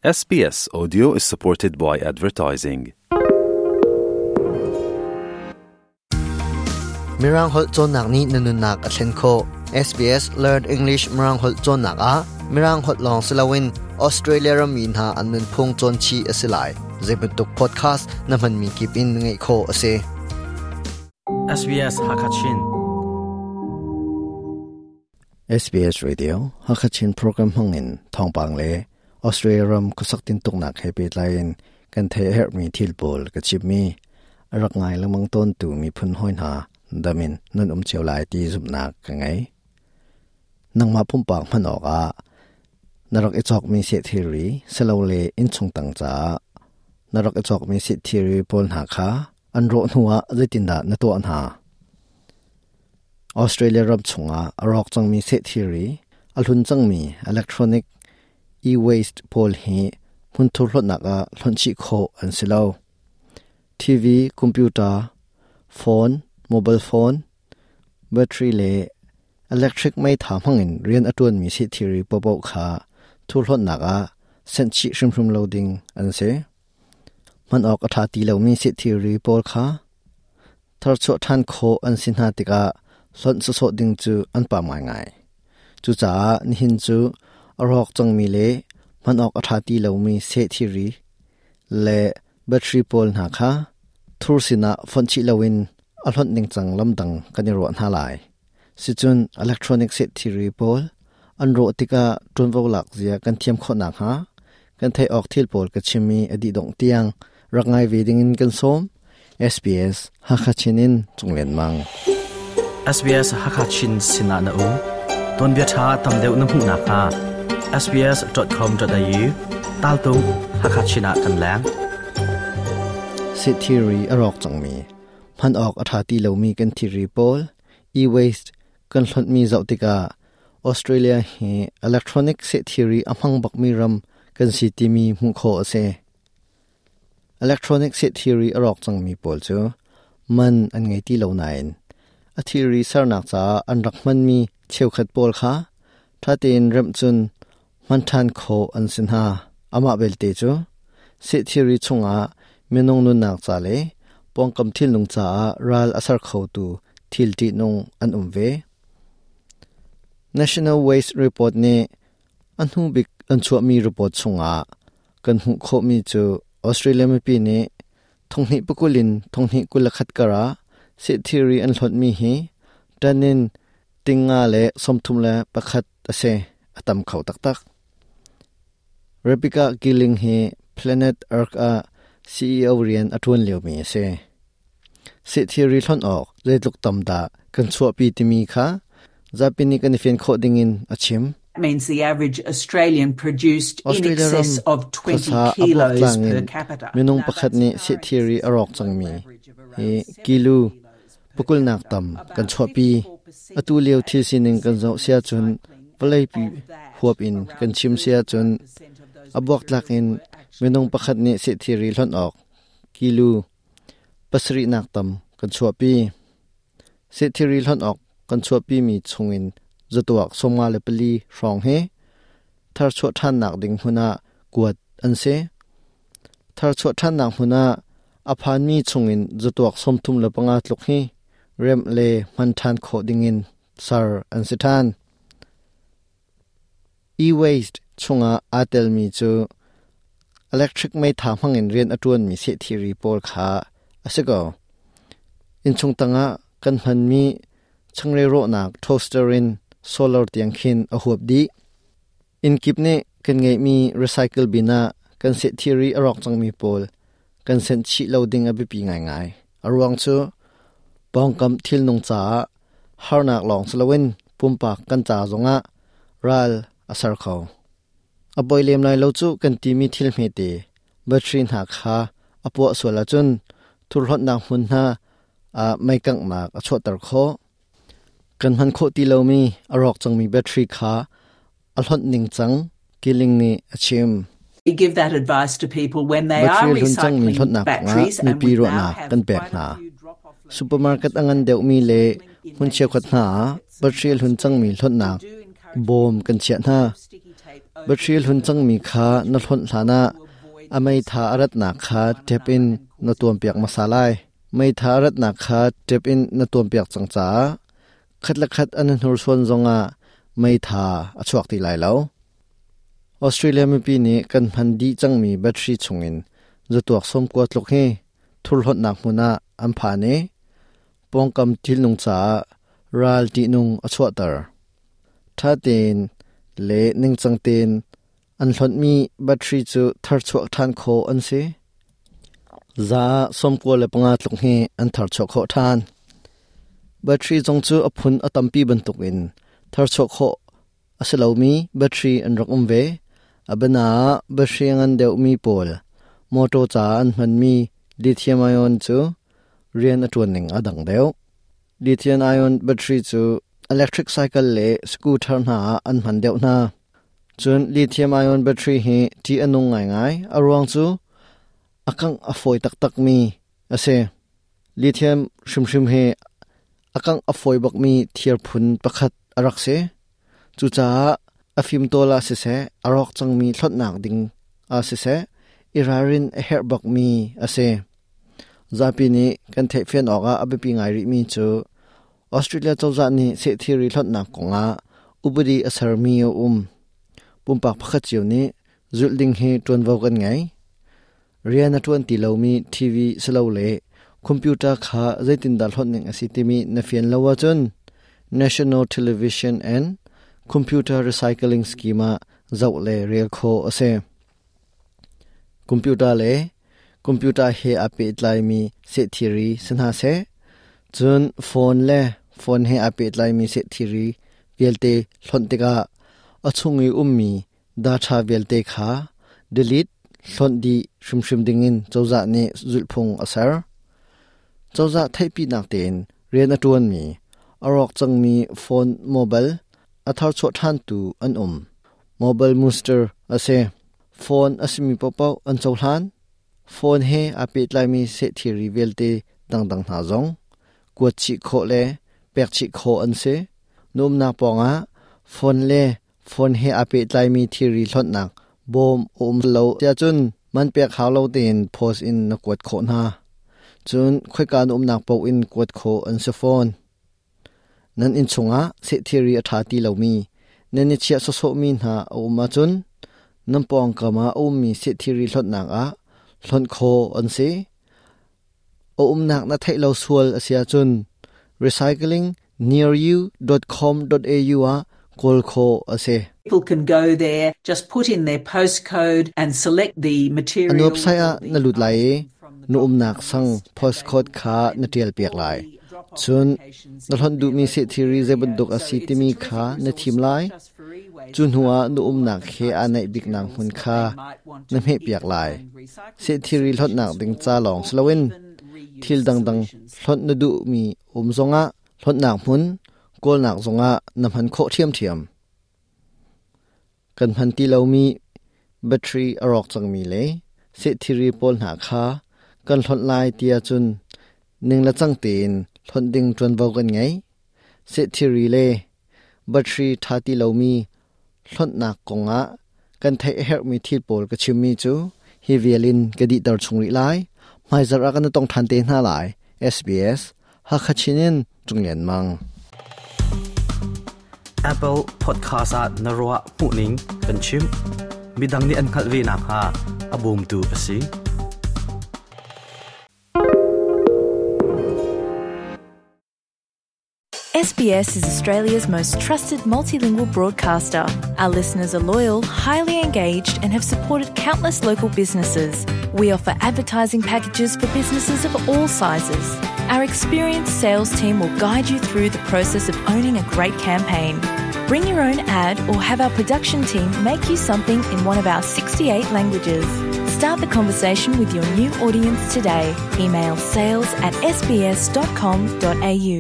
SBS Audio is supported by advertising. Mirang holh cawnnak nih na nunnak a thlen khawh. SBS Learn English Mirang holh cawnnak ah Mirang holh lawng si loin Australia rammi hna an nunphung cawn chih a si lai. Zeibantuk podcast na hmanmi kip in ngaih khawh a si. SBS Hakachin. SBS Radio Hakachin program hmangin thawngpang le Australia ram khuasak tintuknak he pehtlai in kan theih a herhmi thil pawl ka chimmi a rak ngai lengmang tawntu miphun hawi hna dam in nan um cio lai ti zumhnak ka ngei. Nangmah pumpak hman awkah na rak i cawkmi seh thilri silole innchung tang caah na rak i cawkmi seh thilri pawl hna kha an rawh hnuah zeitindah na tuah hna? Australia ram chungah a rawk cangmi seh thilri, a hlun cangmi electronic e-waste pawl hi hmunthur hlonhnak ah hlonh chih khawh an si lo. TV, computer, phone, mobile phone, battery le electric meitha hmangin rian a ṭuanmi seh thilri paohpaoh kha thurhlonhnak ah senh chih hrimhrim lo ding an si. Hman awk a ṭha ti lomi seh thilri pawl kha tharchuah ṭhan khawh an si hna tikah hlonh sawsawh ding cu an pam ngaingai. Cucaah nihin cu a rawk cangmi le hman awk a ṭha ti lomi seh thilri le battery pawl hna kha thur sinah fonh chih loin a hlonh ningcang lamdang kan i ruah hna lai. Sicun electronic seh thilri pawl an rawh tikah ṭuanvo lak zia kan thiam khawh nakhnga kan theih awk thil pawl ka chim i a dih dongh tiang rak ngai ve dingin kan sawm. SBS Hakha Chin in Cung Lian Mang. SBS Hakha Chin sinah na um. Tuanbia ṭha tam deuh na hmuh nakhnga sbs.com.au taltung Hakha Chin ah kan leng. Seh thilri a rawk cangmi, hman awk a ṭha ti lomi kan thilri pawl, e-waste kan hlonhmi zoh tikah Australia hi electronic seh thilri a hmang bakmi ram kan si timi hmuh khawh a si. Electronic seh thilri a rawk cangmi pawl cu man an ngei ti lo nain a thilri sernak caah an rak hmanmi cheukhat pawl kha ṭha tein remh cun hman ṭhan khawh an si hna. Amah belte cu seh thilri chungah minung nunnak ca le pawngkam thilnung caah ral a ser khotu thil ṭihnung an um ve. National Waste Report nih a hnu bik an chuahmi report chungah kan hmuh khawhmi cu Australia mipi nih thonghnih pakul in thonghnih 21 kar ah seh thilri an hlonhmi hi ṭan in tingnga le 31 a si. A tam kho taktak. Rebecca Gilling hi Planet Earth ah CEO rian a ṭuan liomi a si. Seh thilri hlonh awk zeitluk tam dah kan chuahpi timi kha zapi nih kan i fian khawh dingin a chim. Means the average Australian produced in Australia ram excess of 20 khuasa a kilos buaktlang per in capita. minung Now, pakhat that's nih seh far thilri a exceeding rawk the cangmi average of hi around 7 kilu kilos per pakulnak capita. tam kan About chuahpi. 54% Atu of lio that thil sining kan is zoh sia cun recycling, vawleipi and of that, huap in kan around chim sia cun 35% of those a buaktlak materials in were actually minung pakhat nih seh thilri hlonh awk kilu pasarihnak tam kan chuahpi. Seh thilri hlonh awk kan chuahpimi chungin zatuak 54 hrawng hi tharchuah ṭhannak ding hmun ah kuat an si. Tharchuah ṭhannak hmun ah a phanmi chungin zatuak 35 tluk hi remh le hman ṭhan khawh dingin ser an si ṭhan. E-waste chungah aa telmi cu electric meitha hmangin rian a ṭuanmi seh thilri pawl kha a si ko. Innchung tangah kan hmanmi changreu rawhnak toaster in solar tiang khin a huap dih. Inn kip nih kan ngeihmi recycle bin ah kan seh thilri a rawk cangmi pawl kan senh chih lo ding a biapi ngaingai. A ruang cu pawngkam thilnung caah harnak lawng si loin pumpak kan ca zongah ral a ser kho. A poi lem lai lo cu kan timi thil hmete battery hna kha a puah sual ahcun thurhlonhnak hmun hna ah mei kanghnak a chuahter khawh. Kan hman khawh ti lomi a rawk cangmi battery kha a hlonh ningcang Killing nih a chim. We give that advice to people when they are Battery hlun cangmi recycling hlonhnak kongah batteries and mipi we now ruahnak have kan pek quite a hna. few drop-off Supermarket locations a ngan for deuhmi le recycling in hmun major cheukhat hna ah supermarkets battery across hlun cangmi Australia. hlonhnak We do encourage bawm people kan to chiah hna. put sticky tape Battery hlun cangmi kha na hlonh hlanah a meitha a ratnak kha tap in na tuampiak hmasa lai. Meitha a ratnak kha tap in na tuampiak cang caah khat le khat an i hnursuan zongah meitha a chuak ti lai lo. Australia mipi nih kan hman dih cangmi battery chungin zatuak 90 tluk hi thurhlonhnak hmun ah an phan i pawngkam thilnung caah ral ṭihnung a chuahter. Ṭha tein le ningcang tein an hlonhmi battery cu tharchuah ṭhan khawh an si. 95% tluk hi an tharchuah khawh ṭhan. Battery zong cu a phun a tampi bantukin tharchuah khawh a si lomi battery an rak um ve. A biana ah battery a ngan deuhmi pawl mawṭaw caah an hmanmi lithium-ion cu rian a ṭuan ning a dang deuh. Lithium-ion battery cu electric cycle le scooter hna ah an hman deuh hna. Cun lithium-ion battery hi ṭih a nung ngaingai. A ruang cu a kangh a fawi taktakmi a si. Lithium hrimhrim hi a kangh a fawi bakmi thir phun pakhat a rak si. Cucaah a fimtawl ah siseh, a rawk cangmi hlonhnak ding ah siseh, i ralrin a herh bakmi a si. Zapi nih kan theihfian awkah a biapi ngai rihmi cu Australia cozah nih sehthilri hlonhnak kongah upadi a sermi a um. Pumpak pakhat cio nih zulh ding hi ṭuanvo kan ngei. Rian a ṭuan ti lomi TV silole computer kha zeitindah hlonh ning a si timi na fian lo ahcun National Television and Computer Recycling Scheme ah zoh le rel khawh a si. Computer le computer he aa pehtlaimi sehthilri si hna seh, cun phone le phone he aa pehtlaimi sehthilri vialte hlonh tikah a chung i ummi data vialte kha delete hlonh dih hrimhrim dingin cozah nih zulhphung a ser. Cozah theihpinak tein rian a ṭuanmi, a rawk cangmi phone mobile a tharchuah ṭhantu an um. Mobile Muster a si. Phone a simi paohpaoh an cohlan. Phone he aa pehtlaimi sehthilri vialte dangdang hna zong kuat chih khawh le pek chih khawh an si. Na umnak pawngah phone le phone he aa pehtlaimi thilri hlonhnak bawm a um lo tiahcun man pek hau lo tein post in na kuat khawh hna. Cun khoika na umnak paoh in kuat khawh an si fawn. Nan inn chungah sehthilri a ṭha ti lomi, nan i chiah sawsawhmi hna a um ahcun nan pawngkam ah a ummi sehthilri hlonhnak ah hlonh khawh an si. A umnak na theih lo sual a si ahcun recyclingnearyou.com.au ah kawl khawh a si. People can go there, just put in their postcode and select the material. An website ah na lut lai i na umnak sang postcode kha na ṭialpiak lai. Cun na hlonh duhmi sehthilri zei bantuk a si timi kha na thim lai. Cu hnuah na umnak he aa naih biknak hmun kha na hmehpiak lai. Sehthilri hlonhnak ding ca lawng si loin thil dangdang hlonh na duhmi um zongah hlonhnak hmun kawlnak zongah na hman khawh ṭhiamṭhiam. Kan hman ti lomi battery a rawk cangmi le sehthilri pawl hna kha kan hlonh lai ti ahcun ning le cang tein hlonh ding ṭuanvo kan ngei. Sehthilri le battery ṭha ti lomi hlonhnak kongah kan theih a herhmi thil pawl ka chimmi cu hi vial in ka dihter chung rih lai. Hmaizarh ah kan i tong ṭhan te hna lai. SBS Hakha Chin in Cung Lian Mang. Apple Podcast ah na ruah hmuhning kan chim. Midang nih an hngalh ve nakhnga a bawmtu a si. SBS is Australia's most trusted multilingual broadcaster. Our listeners are loyal, highly engaged, and have supported countless local businesses. We offer advertising packages for businesses of all sizes. Our experienced sales team will guide you through the process of owning a great campaign. Bring your own ad or have our production team make you something in one of our 68 languages. Start the conversation with your new audience today. Email sales at sbs.com.au.